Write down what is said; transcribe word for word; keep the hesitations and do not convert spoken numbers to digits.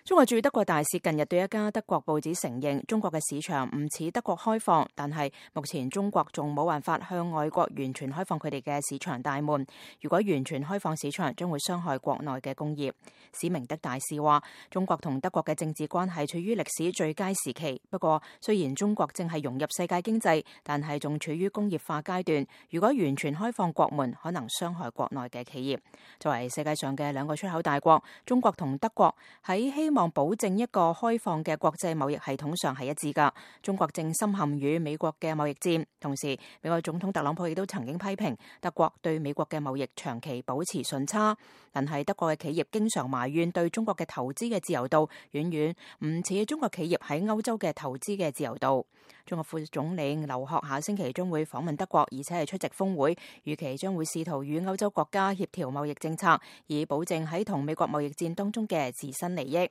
中國駐德國大使近日對一家德國報紙承認，中國嘅市場唔似德國開放，但係目前中國仲冇辦法向外國完全開放佢哋嘅市場大門。如果完全開放市場，將會傷害國內嘅工業。史明德大使話，中國同德國嘅政治關係處於歷史最佳時期。不過，雖然中國正係融入世界經濟，但係仲處於工業化階段。如果完全開放國門，可能傷害國內嘅企業。作為世界上嘅兩個出口大國，中國同德國喺希望保證一個開放嘅國際貿易系統上係一致㗎。中國正深陷於美國嘅貿易戰，同時美國總統特朗普亦都曾經批評德國對美國嘅貿易長期保持順差。但係德國嘅企業經常埋怨對中國嘅投資嘅自由度遠遠唔似中國企業喺歐洲嘅投資嘅自由度。中國副總理劉鶴下星期將會訪問德國，而且係出席峰會，預期將會試圖與歐洲國家協調貿易政策，以保證喺同美國貿易戰當中嘅自身利益。